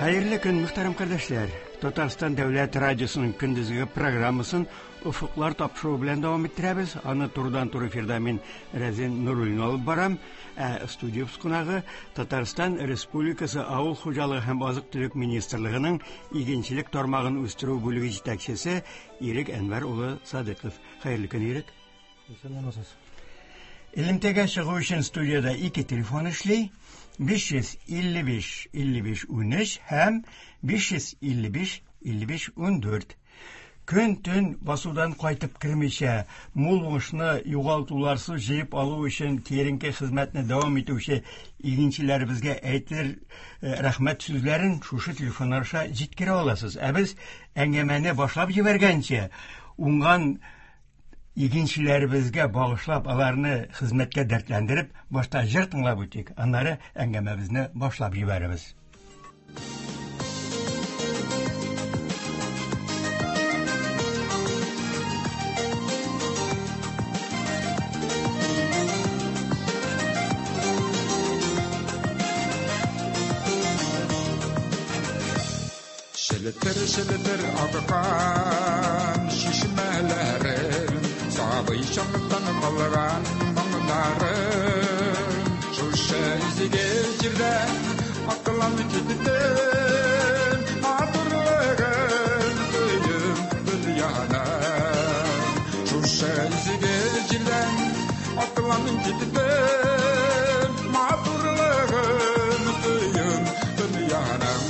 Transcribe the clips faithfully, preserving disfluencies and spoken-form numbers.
Хәерле көн, мөхтәрәм кардәшләр. Татарстан Дәүләт радиосының көндезге программасын Офыклар тапшыруы белән дәвам иттерәбез. Аны турыдан-туры эфирда мин Рәзин Нуруллин алып барам. Ә студиябез кунагы Татарстан Республикасы Авыл хуҗалыгы һәм азык-төлек министрлыгының игенчелек тармагын үстерү бүлеге җитәкчесе Ирек Әнвәр улы Садыков. Хәерле көн, Ирек. Исәнмесез. Элемтәгә чыгу өчен студияда ике телефон эшли. биш йөз илле биш илле биш унөч һәм биш йөз илле биш илле биш ундүрт. Көн-төн басудан кайтып кермичә, мул уңышны югалтуларсыз җыеп алу өчен киеренке хезмәтне дәвам итүче игенчеләребезгә әйтер, э, рәхмәт сүзләрен шушы телефоннар аша җиткерә аласыз. Ә без әңгәмәне башлап җибәргәнче, уңган игенчеләребезгә багышлап, аларны хезмәткә дәртләндереп, башта җыр тыңлап үтик, аннары әңгәмәбезне башлап җибәрәбез. Шелетер, шелетер аккан чишмәләрем, сабый чактан калган моңнарым. Шушы изге җирдә аклан киттем, матурлыгын тоеп дөньяның. Шушы изге җирдән аклан киттем, матурлыгын тоеп дөньяның.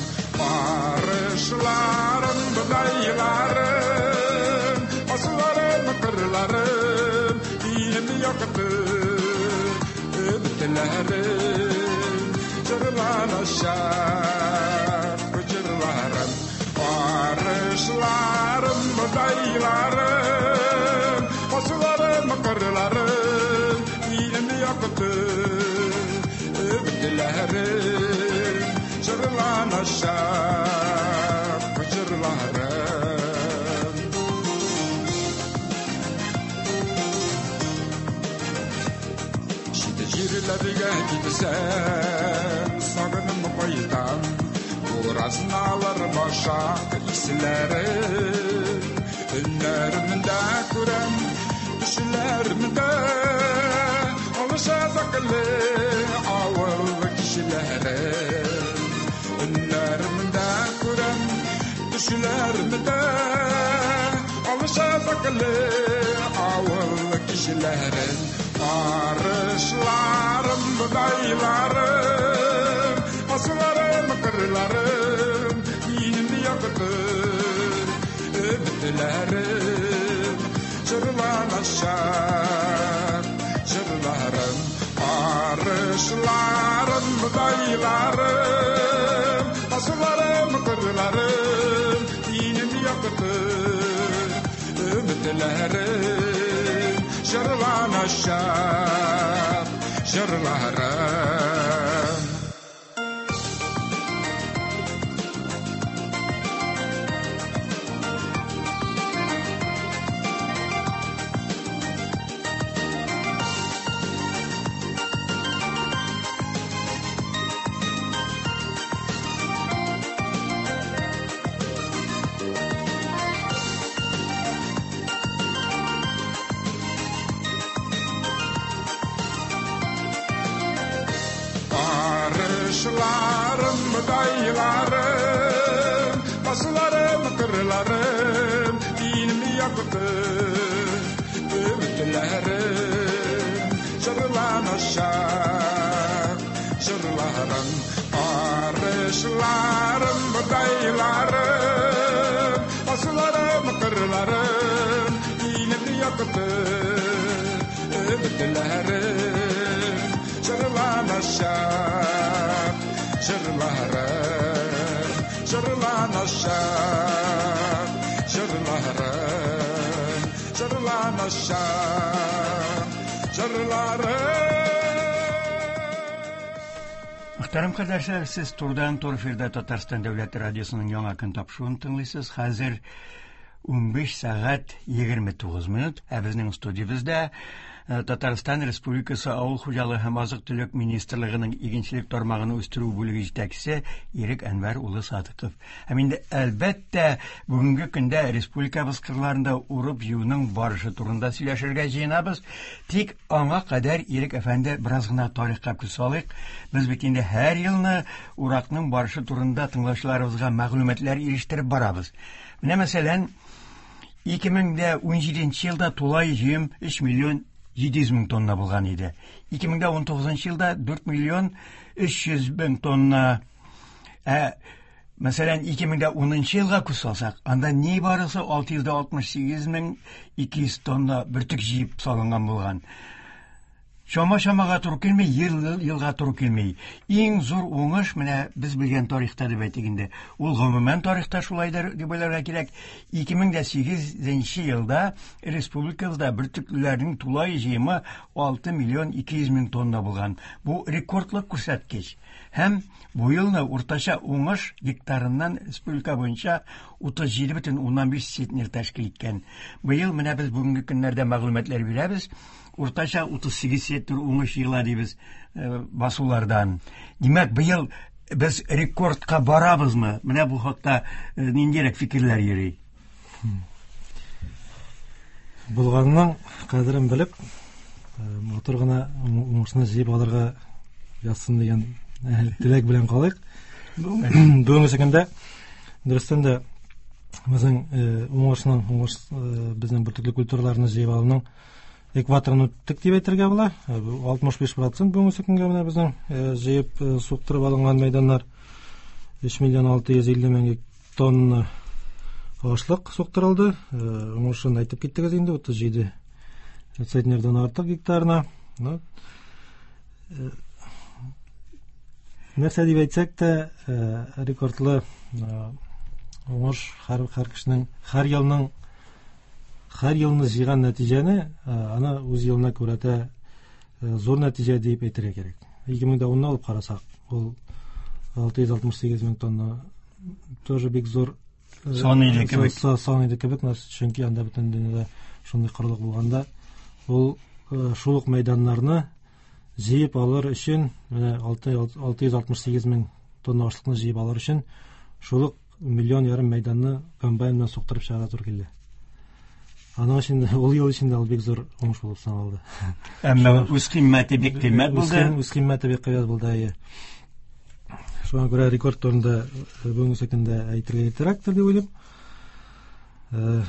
Арышларым, бодайларым, асылларым, кырларым, илем якты өметләрем, җырланачак җырларым. Арышларым, бодайларым, асылларым, кырларым, илем якты өметләрем, җырланачак җырларым. Чит җирләргә китсәм, сагынып кайтам, буразналар башак исләре. Өннәремдә күрәм, төшләремдә алыша заклы авыл кешеләре. Өннәремдә күрәм, төшләремдә алыша заклы авыл кешеләре. Арышларым, бодайларым, асылларым, кырларым, минем якты өметләрем, җырланачак җырларым. Арышларым, бодайларым, асылларым, кырларым, минем якты өметләрем, җырланачак җырларым. Арышларым, бодайларым, басларым, кырларым, минем якты өметләрем, җырланачак җырларым. Арышларым, бодайларым, басларым, кырларым, минем якты өметләрем, җырланачак җырларым, җырланачак җырларым, җырланачак җырларым. Мөхтәрәм кардәшләр, сез турыдан-туры эфирда Татарстан Дәүләт радиосының яңа көн тапшыруын тыңлыйсыз. Хәзер унбиш сәгать егерме тугыз минут. Ә безнең студиябездә Татарстан Республикасы Авыл хуҗалыгы һәм азык-төлек министрлыгының игенчелек тармагын үстерү бүлеге җитәкчесе Ирек Әнвәр улы Садыков. Һәм инде әлбәттә бүгенге көндә республикабыз кырларында урып-җыюның барышы турында сөйләшергә җыенабыз. Тик аңа кадәр Ирек әфәнде бераз гына тарихка күз салыйк. Без бит инде һәр елны уракның барышы турында тыңлаучыларыбызга мәгълүматлар ирештереп барабыз. Менә мәсәлән, ике мең дә унҗиденче елда тулай җыем өч миллион җиде йөз мең тонна булган иде. Ике мең дә унтугызынчы елда дүрт миллион өч йөз мең тонна. Ә, мәсәлән, ике мең дә унынчы елга күз салсак, анда ни барысы алты йөз дә алтмыш сигез мең ике йөз тонна бөртек җыеп салынган булган. Чама-чамага туры килми, ел елга туры килми. Иң зур уңыш менә без белгән тарихта дип әйтик инде. Ул гомумән тарихта шулайдыр дип уйларга кирәк. Ике мең дә сигезенче елда республикабызда бөртеклеләрнең тулай җыемы алты миллион ике йөз мең тонна булган. Бу рекордлы күрсәткеч. Һәм бу елны уртача уңыш гектарыннан республика буенча утыз җиде бөтен уннан биш центнер тәшкил иткән. Быел менә без бүгенге көннәрдә мәгълүматлар бирәбез. Уртача утыз сигез центнер уңыш җыела дибез, э, басулардан. Димәк, быел без рекордка барабызмы? Менә бу хакта, э, ниндирәк фикерләр йөри? Булганның кадерен белеп, э, матур гына уңышны җыеп алырга язсын дигән, э, теләк белән калыйк. Бүгенге көндә дөрестән дә безнең, э, уңышның, уңыш, э, безнең бөртекле культураларны җыеп алуның экваторын үттек дип әйтергә була. Э, бу алтмыш биш процент бүгенге көнгә менә безнең, э, җыеп, э, суктырып алынган мәйданнар өч миллион алты йөз илле мең тонна ашлык суктырылды. Э, уңышын әйтеп киттегез инде, утыз җиде центнердән артык гектарына. Ну, э, нәрсә дип әйтсәк тә, э, рекордлы, э, уңыш һәр, һәр кешенең, һәр елның, һәр елны җыйган нәтиҗәне, э, аны үз елына күрәтә, э, зур нәтиҗә дип әйтергә кирәк. Ике мең дә унны алып карасак, ул алты йөз алтмыш сигез мең тонна тоже бик зур, э, сан иде кебек. са-, сан иде кебек, чөнки анда бөтен дөньяда шундый корылык булганда, ул, э, шул ук мәйданнарны җыеп алыр өчен, менә алты, алты йөз алтмыш сигез мең тонна ашлыкны җыеп алыр өчен шул ук миллион ярым мәйданны комбайн белән суктырып чыгарга туры килде. Аның өчен дә, ул ел эчендә ул бик зур уңыш булып саналды. Әмма үз кыйммәте бик кыйммәт Үз булды. кыйм-, үз кыйммәте бик кыйммәт булды, әйе. Шуңа күрә рекорд турында бүгенге көндә әйтергә иртәрәктер дип уйлыйм. Э,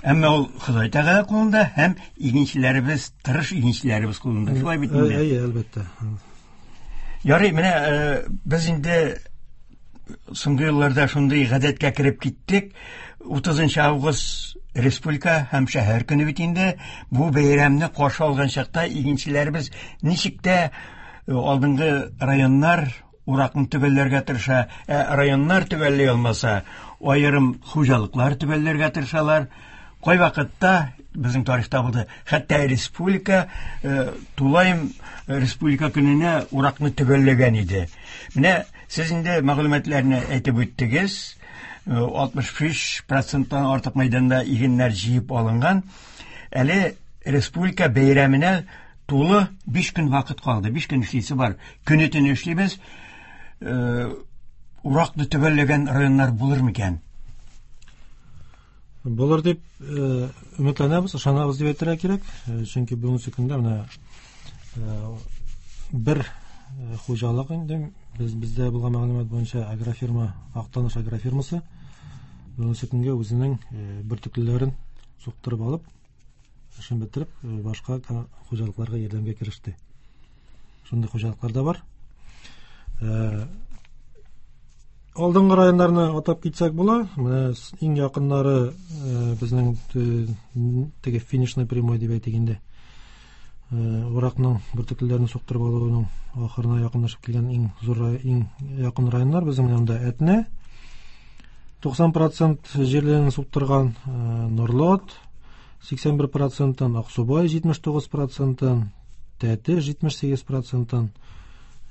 Әмма ул Ходай Тәгалә кулында һәм игенчеләребез, тырыш игенчеләребез кулында. Шулай бит инде. Әйе, әлбәттә. Ярый, менә, э, без инде соңгы елларда шундый гадәткә кереп киттек. Утызынчы август республика һәм шәһәр көне бит инде. Бу бәйрәмне каршы алган чакта игенчеләребез ничек тә, э, алдынгы районнар уракны төгәлләргә тырыша, ә районнар төгәлли алмаса, аерым хуҗалыклар төгәлләргә тырышалар. Кай вакытта безнең тарихта булды, хәтта республика, э, тулаем республика көненә уракны төгәлләгән иде. Менә сез инде мәгълүматларны әйтеп үттегез. Э, алтмыш биш проценттан артык мәйданда игеннәр җыеп алынган. Әле республика бәйрәменә тулы биш көн вакыт калды. Биш көн эшлисе бар. Көне төне эшлибез. Э, уракны төгәлләгән районнар булыр микән? Булыр дип, э, өметләнәбез, ышанабыз дип әйтергә кирәк. Э, чөнки бүгенге көндә менә, э, бер, э, хуҗалык инде без, бездә булган мәгълүмат буенча агрофирма, Актаныш агрофирмасы бүгенге көнгә үзенең, э, бөртеклеләрен суктырып алып, эшен бетереп, э, башка ка-, хуҗалыкларга ярдәмгә кереште. Шундый хуҗалыклар да бар. Э, алдынгы районнарны атап китсәк була. Менә с-, иң якыннары, э, безнең, э, теге финишный прямой дип әйтик инде. Э, уракның бөртеклеләрен суктырып алуның ахырына якынлашып килгән иң зур рай-, иң якын районнар безнең менә монда Әтнә туксан процент җирләрен суктырган, э, Норлат сиксән бер проценттан, Аксубай җитмеш тугыз проценттан, Тәтеш җитмеш сигез проценттан,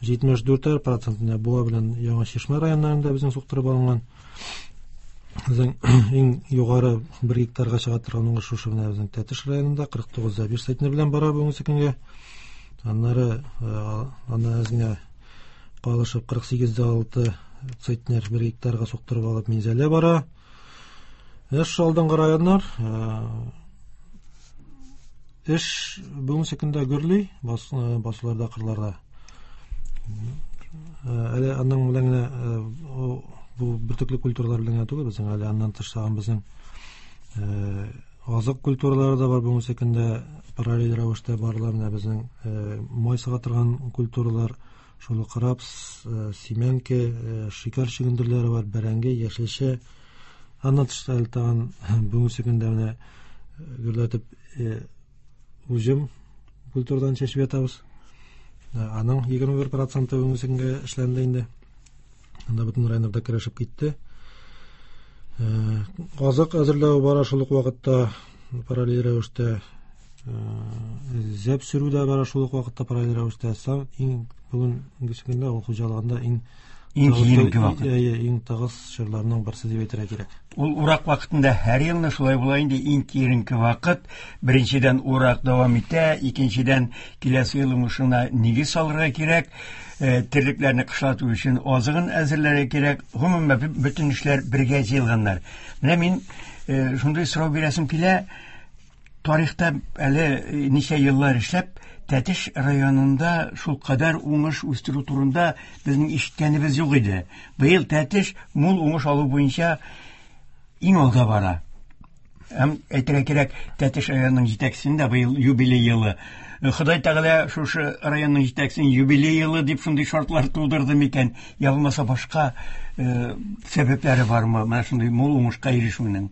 җитмеш дүрт процентында Буа белән Яңа Чишмә районнарында безнең суктырып алынган. Безнең иң югары бер гектарга чыга торган уңыш шушы менә безнең Тәтеш районында кырык тугыз да биш центнер белән бара бүгенге көнгә. Аннары аннан әз генә калышып кырык сигез дә алты центнер бер гектарга суктырып алып Минзәлә бара. Эш алдынгы районнар, эш бүгенге көндә гөрли, басуларда, кырларда. Әле аның белән генә бу бөртекле культуралар белән генә түгел, безнең әле аннан тыш тагын безнең азык культуралары да бар бүгенге көндә параллель рәвештә барыла. Менә безнең май сыга торган культуралар, шул ук рапс, симәнке, шикәр чөгендерләре бар, бәрәңге, яшелчә. Аннан тыш әле тагын бүгенге көндә менә гөрләтеп уҗым культурадан чәчеп ятабыз. Аның егерме бер проценты бүгенге көнгә эшләнде инде. Анда бөтен районнарда керешеп китте. Азык әзерләү бара шул ук вакытта параллель рәвештә, зәп сөрү дә бара шул ук вакытта параллель рәвештә. Иң бүгенге көндә авыл хуҗалыгында иң Иң киеренке вакыт. Әйе, иң тыгыз чорларның берсе дип әйтергә кирәк. Ул урак вакытында һәр елны шулай була инде, иң киеренке вакыт. Беренчедән урак дәвам итә, икенчедән киләсе ел уңышына нигез салырга кирәк, терлекләрне кышлату өчен азыгын әзерләргә кирәк. Гомумән бөтен эшләр бергә җыелганнар. Менә мин шундый сорау бирәсем килә. Тарихта әле ничә еллар эшләп, Тәтеш районында шул кадәр уңыш үстерү турында безнең ишеткәнебез юк иде. Быел Тәтеш мул уңыш алу буенча иң алда бара. Һәм әйтергә кирәк, Тәтеш районының җитәкчесендә быел юбилей елы. Ходай Тәгалә шушы районның җитәкчесен юбилей елы дип шундый шартлар тудырды микән, я булмаса башка сәбәпләре бармы менә шундый мул уңышка ирешүнең?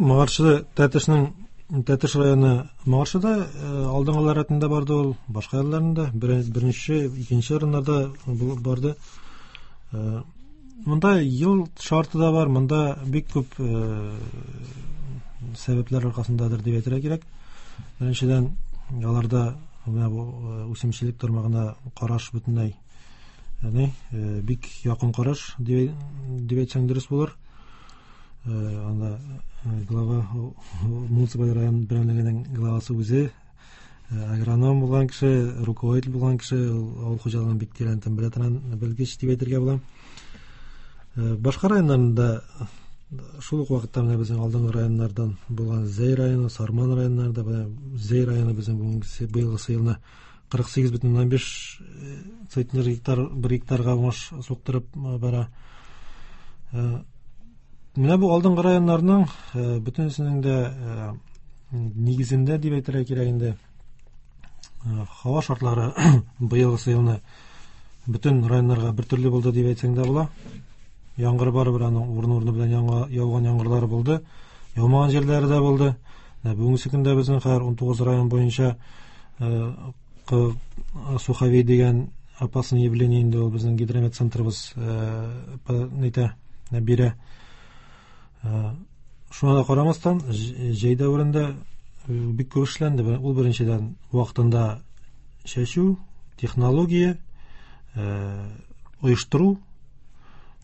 Моңарчы Тәтешнең Тәтеш районы моңарчы да алдынгылар рәтендә барды ул, башка елларында беренче, икенче урыннарда барды. Монда ел шарты да бар, монда бик күп сәбәпләр аркасындадыр дип әйтергә кирәк. Беренчедән, аларда менә бу үсемчелек тармагына караш бөтенләй, ягъни бик якын караш дип әйтсәң дөрес булыр. Анда глава муниципаль район берәмлегенең главасы үзе агроном булган кеше, руководитель булган кеше, авыл хуҗалыгын бик тирәнтен белә торган белгеч дип әйтергә була. Башка районнарында шул ук вакытта менә безнең алдынгы районнардан булган Зәй районы, Сарман районнарында, менә Зәй районы безнең бүгенге быелгы елны кырык сигез бөтен уннан биш центнер гектар бер гектарга уңыш суктырып бара. Менә бу алдынгы районнарның бөтенесенең дә нигезендә дип әйтергә кирәк инде. Һава шартлары быелгы елны бөтен районнарга бер төрле булды дип әйтсәң дә була. Яңгыр барыбер аның урыны-урыны белән яуган яңгырлары булды, яумаган җирләре дә булды. Бүгенге көндә безнең хәзер ун тугыз район буенча суховей дигән опасное явление инде ул безнең гидромет центрыбыз нитә бирә. Шуңа да карамастан, җәй дәверендә бик күп эшләнде. Ул беренчедән вакытында чәчү, технология, оештыру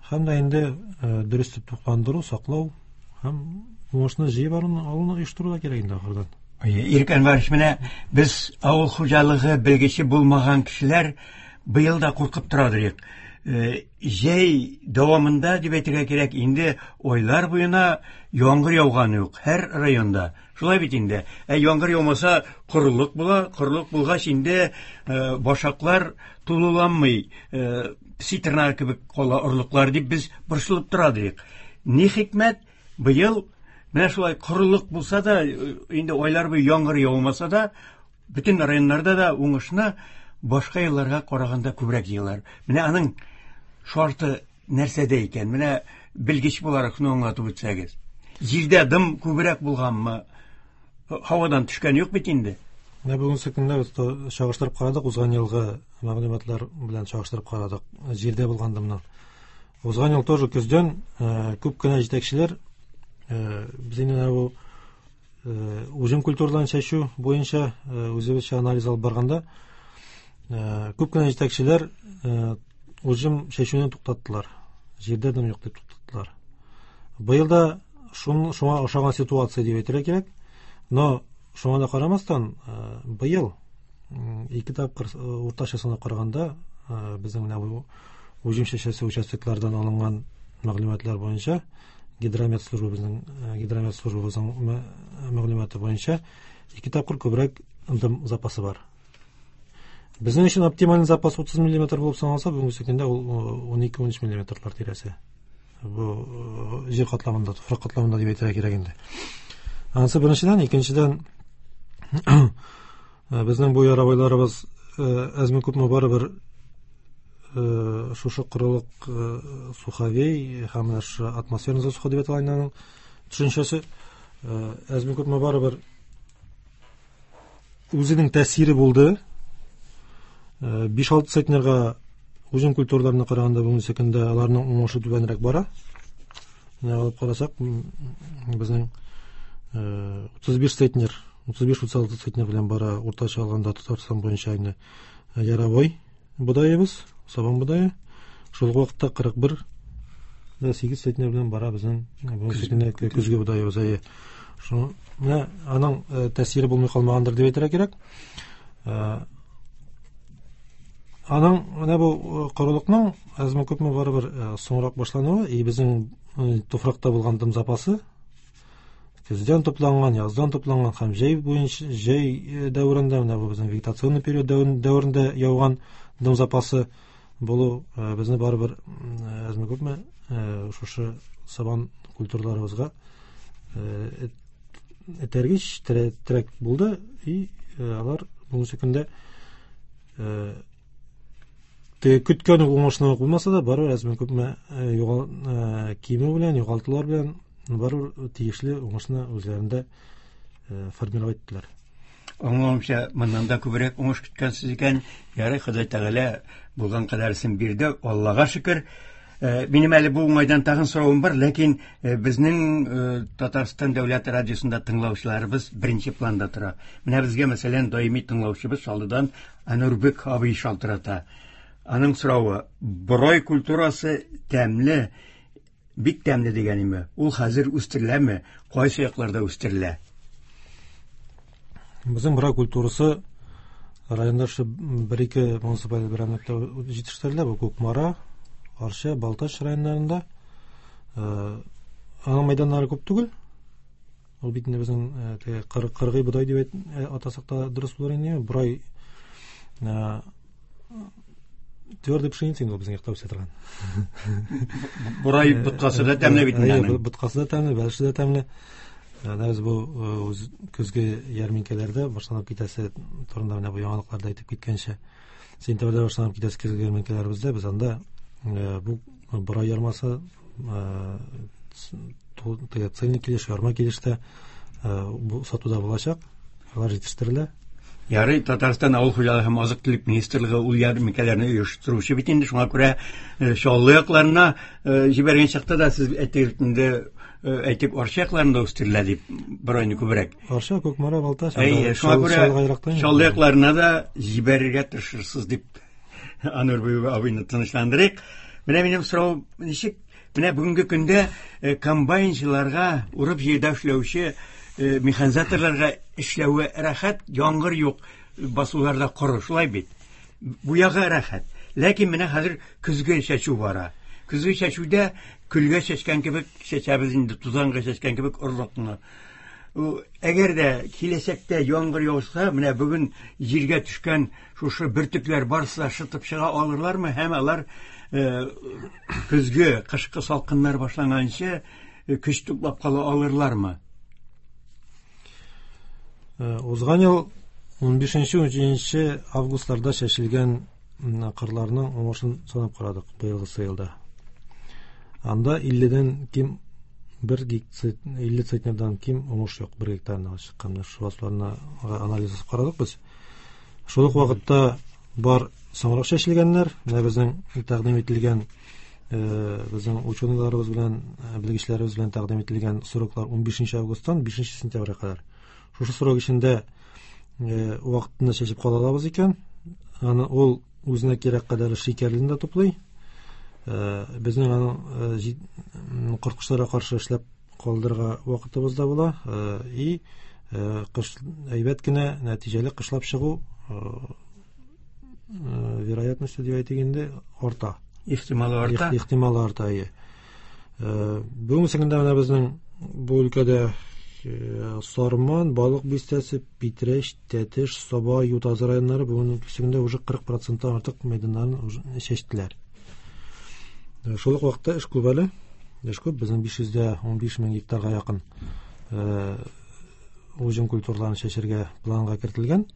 һәм дә инде дөрес итеп тукландыру, саклау һәм уңышны җыеп алуны оештыру да кирәк инде ахырдан. Ирек Әнвәрович, менә без авыл хуҗалыгы белгече булмаган кешеләр быел да куркып торадыр. Җәй дәвамында дип әйтергә кирәк, инде айлар буена яңгыр яуганы юк һәр районда. Шулай бит инде. Ә яңгыр яумаса корылык була, корылык булгач инде башаклар тулыланмый, песи тырнагы кебек кала орлыклар дип без борчылып торадык. Ни хикмәт, быел менә шулай корылык булса да, инде айлар буе яңгыр яумаса да, бөтен районнарда да уңышны башка елларга караганда күбрәк җыялар. Менә аның шарты нәрсәдә икән? Менә белгеч буларак шуны аңлатып үтсәгез. Җирдә дым күбрәк булганмы? Һавадан төшкән юк бит инде. Менә бүгенге көндә без чагыштырып карадык, узган елгы мәгълүматлар белән чагыштырып карадык, җирдә булган дымны. Узган ел тоже көздән күп кенә җитәкчеләр без инде бу уҗым культураларын чәчү буенча үзебезчә анализ алып барганда күп кенә җитәкчеләр уҗым чәчүне туктаттылар. Җирдә дым юк дип туктаттылар. Быел да шун, шуңа охшаган ситуация дип әйтергә кирәк. Но шуңа да карамастан, быел ике тапкыр уртача санап караганда, безнең менә бу уҗым чәчәсе участоклардан алынган мәгълүматлар буенча, гидромет службабызның, гидромет службабызның мәгълүматы буенча ике тапкыр күбрәк дым запасы бар. Безнең өчен оптималь запас утыз миллиметр булып саналса, бүгенге көндә ул ун ике-ун өч миллиметрлар тирәсе. Бу җир катламында, туфрак катламында дип әйтергә кирәк инде. Анысы беренчедән, икенчедән, безнең бу ярабайларыбыз әзме күпме барыбер шушы корылык, суховей һәм менә шушы атмосферный засуха дип атала инде аның төшенчәсе, әзме күпме барыбер үзенең тәэсире булды. Биш-алты центнерга уҗым культураларына караганда бүгенге көндә аларның уңышы түбәнрәк бара. Менә алып карасак, безнең утыз биш центнер, утыз биш-утыз алты центнер белән бара уртача алганда Татарстан буенча инде яровой бодаебыз, сабан бодае. Шул ук вакытта кырык бер дә сигез центнер белән бара безнең бүгенге көндә көзге бодаебыз. Әйе. Шуны менә аның тәэсире булмый калмагандыр дип әйтергә кирәк. Аның менә бу корылыкның әзме күпме барыбер соңрак башлануы, и безнең туфракта булган дым запасы көздән тупланган, яздан тупланган һәм җәй буенча, җәй дәверендә, менә бу безнең вегетационный период дәверендә яуган дым запасы булу безне барыбер әзме күпме шушы сабан культураларыбызга этәргеч, терәк булды, и алар бүгенге көндә теге көткән үк уңышны ук булмаса да, барыбер әзме күпме кимү белән, югалтулар белән барыбер тиешле уңышны үзләрендә формировать иттеләр. Аңлавымча, моннан да күбрәк уңыш көткәнсез икән. Ярый, Ходай Тәгалә булган кадәресен бирде, Аллага шөкер. Минем әле бу уңайдан тагын соравым бар, ләкин безнең Татарстан дәүләт радиосында тыңлаучыларыбыз беренче планда тора. Менә безгә, мәсәлән, даими тыңлаучыбыз Чаллыдан Анурбек абый шалтырата. Аның соравы: борай культурасы тәмле, бик тәмле дигән име? Ул хәзер үстереләме? Кайсы якларда үстерелә? Безнең борай культурасы районда шу бер-ике муниципаль берәмлектә җитештерелә. Бу Кукмара, Арча, Балтач районнарында. Аның мәйданнары күп түгел. Ул бит инде безнең теге кыргый бодай дип атасак та дөрес булыр инде. Борай твердый пшеница инде ул безнең якта үсә торган. Борай боткасы да тәмле бит инде аның. Боткасы да тәмле, бәлеше дә тәмле. Менә без бу көзге ярминкәләрдә башланып китәсе турында менә бу яңалыкларда әйтеп киткәнчә, сентябрьдә башланып китәсе көзге ярминкәләребездә без анда бу борай ярмасы теге цельный килеш, ярма килештә бу сатуда булачак, алар җитештерелә. Ярый, Татарстан авыл хуҗалыгы һәм азык-төлек министрлыгы ул ярминкәләрне оештыручы бит инде, шуңа күрә Чаллы якларына җибәргән чакта да сез әйтегез инде, әйтик, Арча якларында үстерелә дип борайны күбрәк. Арча, Кукмара, Балтач, Әйе, шуңа күрә Чаллы якларына да җибәрергә тырышырсыз дип Анурбек абыйны тынычландырыйк. Менә минем сорау ничек? Менә бүгенге көндә комбайнчыларга, урып җирдә эшләүче механизаторларга эшләве рәхәт, яңгыр юк, басуларда коры, шулай бит. Бу ягы рәхәт. Ләкин менә хәзер көзге чәчү бара. Көзге чәчүдә көлгә чәчкән кебек чәчәбез инде, тузанга чәчкән кебек орлыкны. Әгәр дә киләчәктә яңгыр яуса, менә бүген җиргә төшкән шушы бөртекләр барысы да шытып чыга алырлармы? Һәм алар көзге, кышкы салкыннар башланганчы көч туплап кала алырлармы? Узган ел ун бишенче, ун җиденче августларда чәчелгән кырларның уңышын санап карадык быелгысы елда. Анда илледән ким бер гектар, илле центнердан ким уңыш юк бер гектарына чыккан. Шул басуларны анализ ясап карадык без. Шул ук вакытта бар соңрак чәчелгәннәр, менә безнең тәкъдим ителгән, безнең ученыйларыбыз белән, белгечләребез белән тәкъдим ителгән сроклар ун бишенче августтан бишенче сентябрьгә кадәр. Шушы срок эчендә вакытында чәчеп кала алабыз икән, аны ул үзенә кирәк кадәр шикәрлен дә туплый Безнең аның корткычларга каршы эшләп калдырырга вакытыбыз да була. И кыш әйбәт кенә нәтиҗәле кышлап чыгу вероятности дип әйтик инде арта. Ихтималы арта. Ихтималы арта, әйе. Бүгенге көндә менә безнең бу өлкәдә Сарман, Балык Бистәсе, Питрәч, Тәтеш, Саба, Ютазы районнары бүгенге көндә уже кырык проценттан артык мәйданнарын чәчтеләр. Шул ук вакытта эш күп әле. Эш күп, безнең биш йөз дә унбиш мең гектарга якын уҗым культураларын чәчәргә планга кертелгән.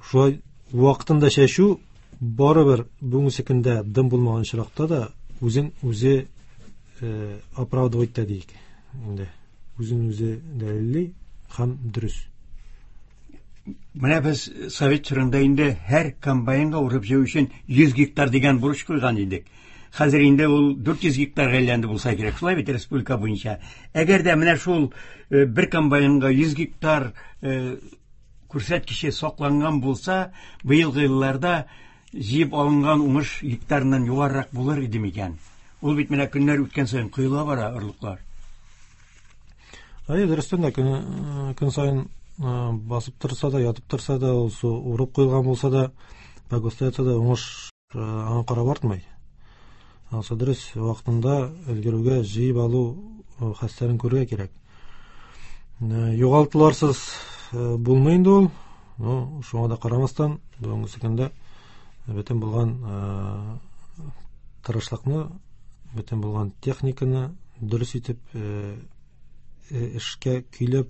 Шулай вакытында чәчү барыбер бүгенге көндә дым булмаган очракта да үзен үзе оправдывать та диек. Инде үзен үзе дәлилли һәм дөрес. Менә без совет чорында инде һәр комбайнга урып җыю өчен йөз гектар дигән бурыч куйган идек. Хәзер инде ул дүрт йөз гектарга әйләнде булса кирәк. Шулай бит республика буенча. Әгәр дә менә шул бер комбайнга йөз гектар күрсәткече сакланган булса, быелгы елларда җыеп алынган уңыш гектарыннан югарырак булыр иде микән? Ул бит менә көннәр үткән саен коела бара орлыклар. Әйе, дөрестән дә көн, көн саен басып торса да, ятып торса да, ул су урып куелган булса да, погостта ятса да уңыш аңа карап артмый. Анысы дөрес, вакытында өлгерүгә җыеп алу хәстәрен күрергә кирәк. Югалтуларсыз булмый инде ул. Ну, шуңа да карамастан, бүгенге көндә бөтен булган тырышлыкны, бөтен булган техниканы дөрес итеп эшкә көйләп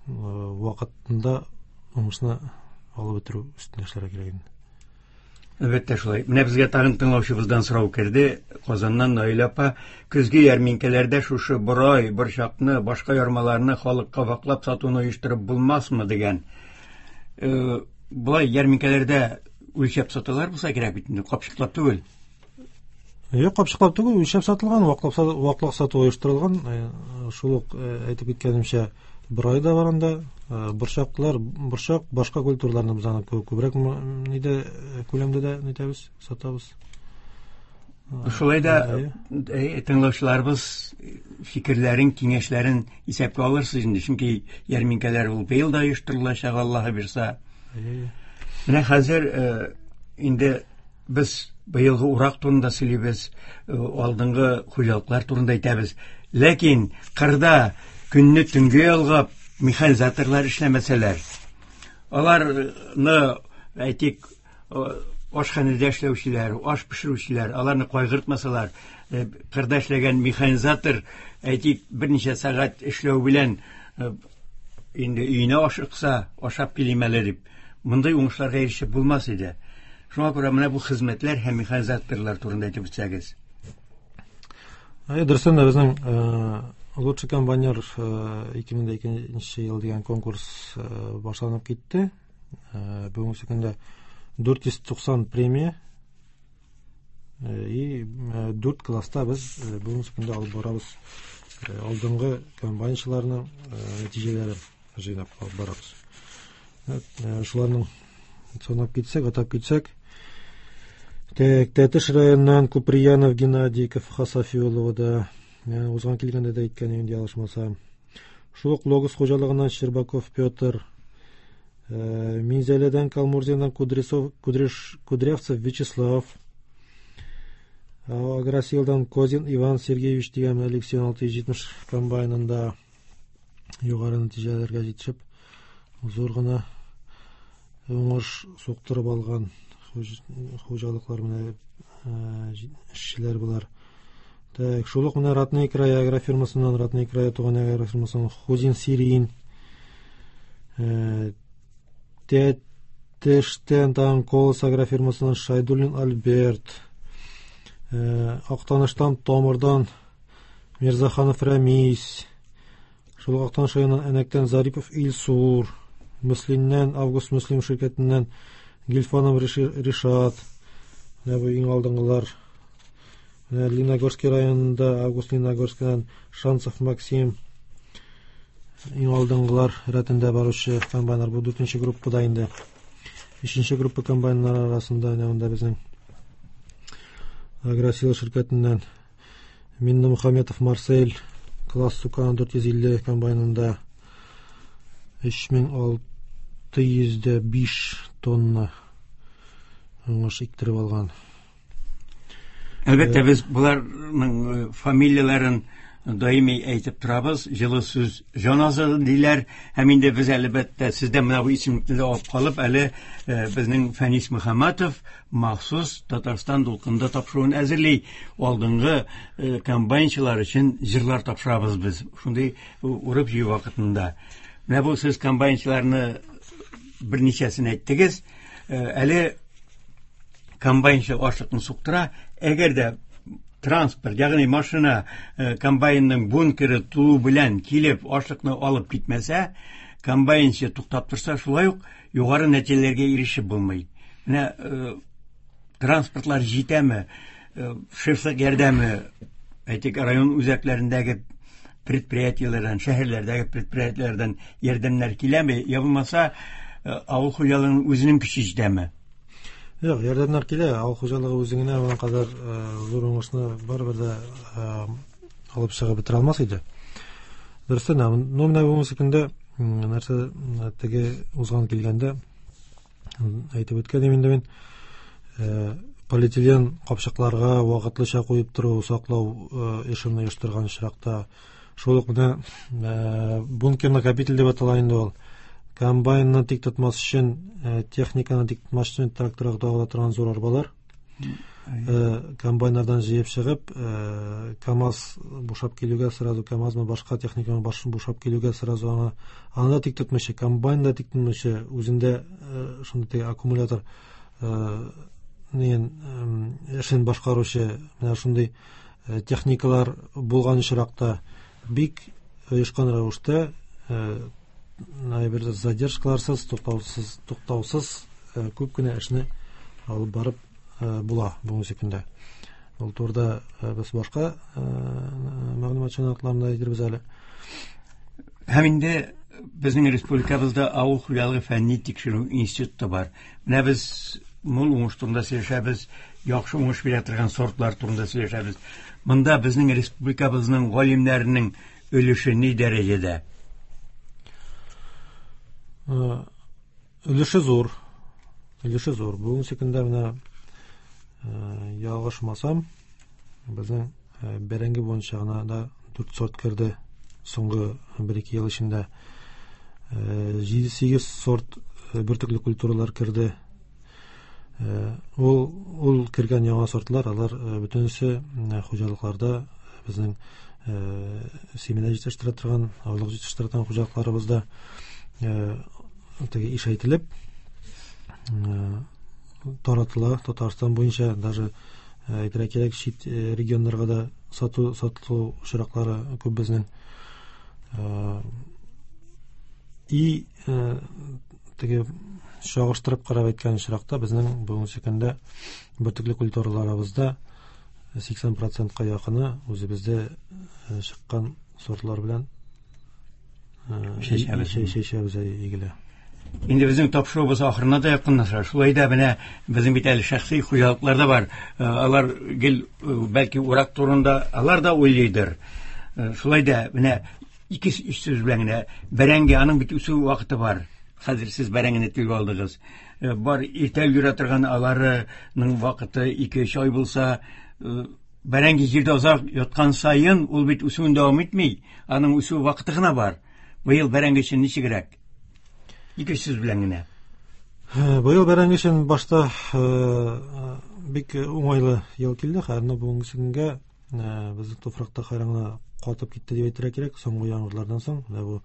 вакытында уңышны алып бетерү өстендә эшләргә кирәк инде. Әлбәттә шулай. Менә безгә тагын тыңлаучыбыздан сорау керде. Казаннан Наилә апа, көзге ярминкәләрдә шушы борай, борчакны, башка ярмаларны халыкка ваклап сатуны оештырып булмасмы дигән. Болай ярминкәләрдә үлчәп саталар булса кирәк бит инде, капчыклап түгел. Юк, капчыклап түгел, үлчәп сатылган, ваклап сату, ваклап сату оештырылган. Шул ук әйтеп киткәнемчә, борай да бар анда, борчаклар, борчак, башка культураларны без аны күбрәк нидә, күләмдә дә нитәбез, сатабыз. Шулай да тыңлаучыларыбыз фикерләрен, киңәшләрен исәпкә алырсыз инде, чөнки ярминкәләр ул быел да оештырылачак, Аллаһы бирса. Менә хәзер инде без быелгы урак турында сөйлибез, алдынгы хуҗалыклар турында әйтәбез. Ләкин кырда көнне төнгә ялгап механизаторлар эшләмәсәләр, аларны, әйтик, ашханәдә эшләүчеләр, аш пешерүчеләр, аларны кайгыртмасалар, кырда эшләгән механизатор, әйтик, берничә сәгать эшләү белән инде өенә ашыкса, ашап килим әле дип, мондый уңышларга ирешеп булмас иде. Шуңа күрә менә бу хезмәтләр һәм механизаторлар турында әйтеп үтсәгез. Әйе, дөрестән дә безнең лучший комбайнер ике мең икенче ел дигән конкурс башланып китте. Бүгенге көндә дүрт йөз туксан премия и дүрт класста без бүгенге көндә алып барабыз алдынгы комбайнчыларның нәтиҗәләрен җыйнап алып барабыз. Шуларның санап китсәк, атап китсәк, Тәтеш районыннан Куприянов Геннадий Хасафиулова узган килгәндә дә әйткән инде, ялгышмасам. Шул ук Логос хуҗалыгыннан Щербаков Петр, Минзәләдән Калмурзиннан Кудряцов, Кудряш, Кудрявцев Вячеслав, Агросилдан Козин Иван Сергеевич дигән Алексей алты йөз җитмеш комбайнында югары нәтиҗәләргә җитешеп, зур гына уңыш суктырып алган хуҗалыклар менә эшчеләр булар. Так, шул ук менә Ратный край агрофирмасыннан, Ратный край туган агрофирмасыннан Хузин Сирин, Тәтештән тагын Колос агрофирмасыннан Шайдуллин Альберт, Актаныштан Томырдан Мирзаханов Рәмис, шул ук Актаныш районыннан Әнәктән Зарипов Илсур, Мөслимнән Август Мөслим ширкәтеннән Гильфанов Ришат, менә бу иң алдынгылар. Менә Лениногорский районында Август Лениногорскийдан Шанцев Максим, иң алдынгылар рәтендә баручы комбайнер. Бу дүртенче группада инде. Өченче группа комбайннар арасында менә монда безнең Агросила ширкәтеннән Миннемөхәммәтов Марсель класс Сукана дүрт йөз илле комбайнында өч мең алты йөз дә биш тонна уңыш иктереп алган. Әлбәттә, без боларның фамилияләрен даими әйтеп торабыз. Җылы сүз җан азыгы диләр. Һәм инде без әлбәттә сездән менә бу исемлекне дә алып калып, әле безнең Фәнис Мөхәммәтов махсус Татарстан дулкында тапшыруын әзерли. Алдынгы комбайнчылар өчен җырлар тапшырабыз без. Шундый урып җыю вакытында. Менә бу сез комбайнчыларны берничәсен әйттегез. Әле комбайнчы ашлыкны суктыра. Әгәр дә транспорт, ягъни машина комбайнның бункеры тулу белән килеп ашлыкны алып китмәсә, комбайнчы туктап торса, шулай ук югары нәтиҗәләргә ирешеп булмый. Менә транспортлар җитәме, шефлык ярдәме, әйтик, район үзәкләрендәге предприятиеләрдән, шәһәрләрдәге предприятиеләрдән ярдәмнәр киләме, я булмаса авыл хуҗалыгының үзенең көче җитәме? Юк, ярдәмнәр килә. Авыл хуҗалыгы үзе генә моның кадәр зур уңышны барыбер дә алып чыгып бетерә алмас иде. Дөрестән, ну менә бүгенге көндә нәрсә теге узган килгәндә әйтеп үткән идем инде мин, полиэтилен капчыкларга вакытлыча куеп тору, саклау эшен оештырган очракта, шул ук менә бункер накопитель дип атала инде ул. Комбайнны тик тотмас өчен, техниканы тик тотмас өчен тракторга тагыла торган зур арбалар. Комбайннардан җыеп чыгып, КАМАЗ бушап килүгә сразу КАМАЗмы башка техниканы бушап килүгә сразу аңа аны да тик тотмыйча, комбайн да тик тотмыйча, үзендә шундый теге аккумулятор нен эшен башкаручы менә шундый техникалар булган очракта бик оешкан рәвештә бер задержкаларсыз, туктаусыз, туктаусыз күп кенә эшне алып барып була бүгенге көндә. Ул турыда без башка мәгълүмат чыганакларында әйтербез әле. Һәм инде безнең республикабызда авыл хуҗалыгы фәнни тикшерү институты бар. Менә без мул уңыш турында сөйләшәбез, яхшы уңыш бирә торган сортлар турында сөйләшәбез. Монда безнең республикабызның галимнәренең өлеше ни дәрәҗәдә? Өлеше зур. Өлеше зур. Бүгенге көндә менә ялгышмасам, безнең бәрәңге буенча гына да дүрт сорт керде соңгы бер-ике ел эчендә. Җиде-сигез сорт бөртекле культуралар керде. Ул ул кергән яңа сортлар, алар бөтенесе хуҗалыкларда безнең семена җитештерә торган, орлык җитештерә торган хуҗалыкларыбызда теге ишәйтелеп таратыла. Татарстан буенча даже әйтергә кирәк, чит регионнарга да сату сатылу очраклары күп безнең. И теге чагыштырып карап әйткән очракта безнең бүгенге көндә бөртекле культураларыбызда сиксән процентка якыны үзебездә чыккан сортлар белән чәчәбез игелә. Инде безнең тапшыруыбыз ахырына да якынлаша. Шулай да менә безнең бит әле шәхси хуҗалыклар да бар. Алар гел бәлки урак турында алар да уйлыйдыр. Шулай да менә ике өч сүз белән генә бәрәңге, аның бит үсү вакыты бар. Хәзер сез бәрәңгене телгә алдыгыз. Бар иртә өлгерә торган аларының вакыты ике-өч ай булса, бәрәңге җирдә озак яткан саен ул бит үсүен дәвам итми. Аның үсү вакыты гына бар. Быел бәрәңге өчен ничегрәк? Ике сүз белән генә. Быел бәрәңге өчен башта бик уңайлы ел килде. Хәзер бүгенге көнгә безнең туфракта хайран катып китте дип әйтергә кирәк. Соңгы яңгырлардан соң, менә бу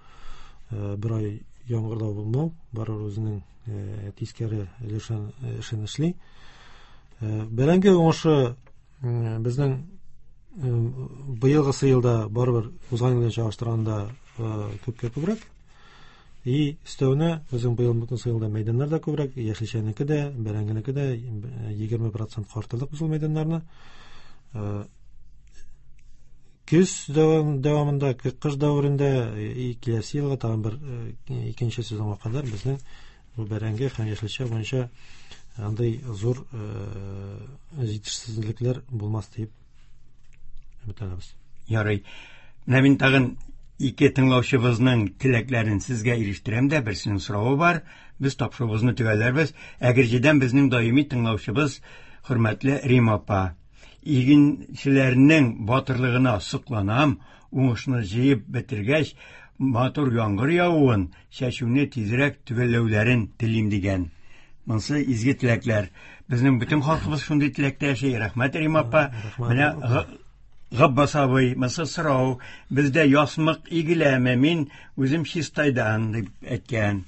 бер ай яңгыр да булмау, барыбер үзенең тискәре өлешен эшен эшли. Бәрәңге уңышы безнең быелгысы елда барыбер узган елдан чагыштырганда күпкә күбрәк. И өстәвенә безнең быелгысы елда мәйданнар да күбрәк, яшелчәнеке дә, бәрәңгенеке дә егерме процент арттырдык без ул мәйданнарны. Көз дәвамында, кыш дәверендә и киләсе елга тагын бер икенче сезонга кадәр безнең бу бәрәңге һәм яшелчә буенча Андый зур җитешсезлекләр булмас дип өметләнәбез. Ярый. Менә мин тагын ике тыңлаучыбызның теләкләрен сезгә ирештерәм дә, берсенең соравы бар. Без тапшыруыбызны төгәлләрбез. Әгерҗедән безнең даими тыңлаучыбыз хөрмәтле Рима апа. Игенчеләрнең батырлыгына сокланам, уңышны җыеп бетергәч, матур яңгыр явуын, чәчүне тизрәк төгәлләүләрен телим дигән. Монсы изге теләкләр. Безнең бөтен халкыбыз шундый теләктә яши. Рәхмәт, Рима апа. Менә Габбас абый, монсы сорау, бездә ясмык игеләме? Мин үзем Чистайдан дип әйткән.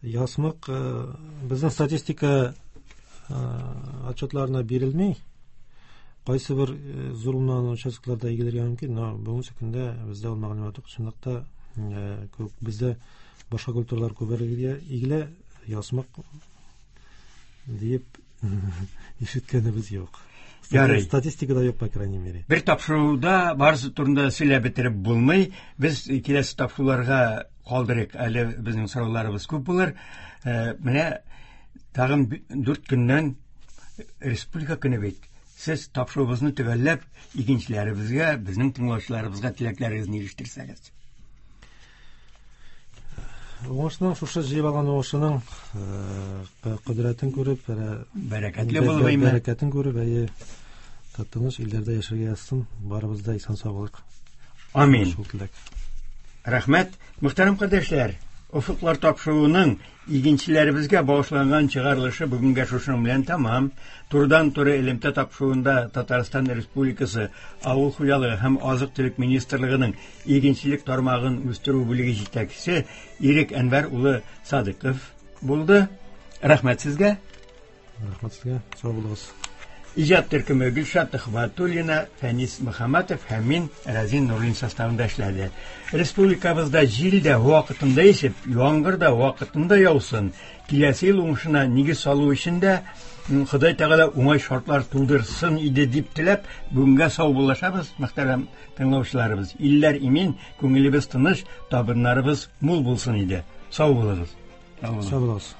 Ясмык безнең статистика отчетларына бирелми. Кайсы бер зур булмаган участокларда игелергә мөмкин, но бүгенге көндә бездә ул мәгълүмат юк. Чынлыкта бездә башка культуралар күбрәк игелә, ясмык дип ишеткәнебез юк. Ярый. Статистикада юк, по крайней мере. Бер тапшыруда барысы турында сөйләп бетереп булмый. Без киләсе тапшыруларга калдырыйк. Әле безнең сорауларыбыз күп булыр. Менә тагын дүрт көннән Республика көне бит. Сез тапшыруыбызны төгәлләп, игенчеләребезгә, безнең тыңлаучыларыбызга теләкләрегезне ирештерсәгез. Уңышның, шушы җыеп алган уңышының кодрәтен күреп, бәрәкәтле булып, бәрәкәтен күреп, әйе, тыныч илләрдә яшәргә язсын, барыбыз да исән-сау булыйк. Амин. Шул теләк. Рәхмәт, мөхтәрәм кардәшләр. Офыклар тапшыруының игенчеләребезгә багышланган чыгарылышы бүгенгә шушының белән тәмам. Турыдан-туры элемтә тапшыруында Татарстан Республикасы Авыл хуҗалыгы һәм азык-төлек министрлыгының игенчелек тармагын үстерү бүлеге җитәкчесе Ирек Әнвәр улы Садыков булды. Рәхмәт сезгә. Рәхмәт сезгә. Сау булыгыз. Иҗат төркеме Гөлшат Төхвәтуллина, Фәнис Мөхәммәтов һәм мин Разин Нурлин составында эшләде. Республикабызда җил дә вакытында исеп, яңгыр да вакытында яусын. Киләсе ел уңышына нигез салу өчен дә Ходай Тәгалә уңай шартлар тудырсын иде дип теләп, бүгенгә саубуллашабыз, мөхтәрәм тыңлаучыларыбыз. Илләр имин, күңелебез тыныч, табыннарыбыз мул булсын иде. Сау булыгыз. Сау булыгыз.